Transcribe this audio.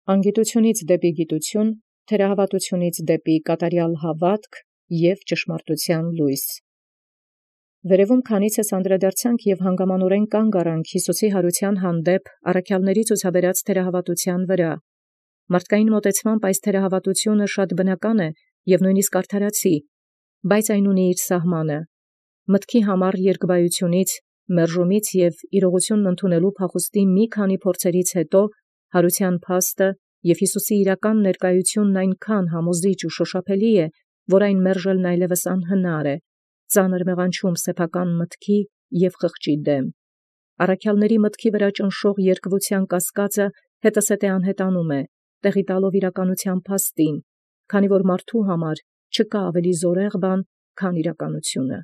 Անգիտութիւնից դեպի գիտութիւն, թերահաւատութիւնից դեպի կատարեալ հաւատք և ճշմարտութեան լույս։ Վերևում քանիցս անդրադարձանք և հանգամանաւորեն կանգ առանք Յիսուսի յարութեան հանդեպ առաքելոցն ցուցաբերած թերահաւատութեան վրա։ Մարդկային մոտեցմամբ այս թերահաւատութիւնը շատ բնական է և նույնիսկ արդարացի, բայց այն ունի իր սահմանը։ Մտքի համար երկվայութիւնից, մերժումից և իրողութիւնն ընդունելու փախուստի մի քանի փորձերից յետո յարութեան փաստը և Յիսուսի իրական ներկայութիւնն այնչափ յամոզիչ և շոշափելի է, որ այն մերժելն այլևս անհնար է, ծանր մեղանչում սեփական մտքի և խղճի դեմ։ Առաքելոցն մտքի վրա ճնշող երկվութեան կասկածը հետզհետե անհետանում է, տեղի տալով իրականութեան փաստին, քանի որ մարդու համար չկա ավելի զորեղ բան, քան իրականությունը։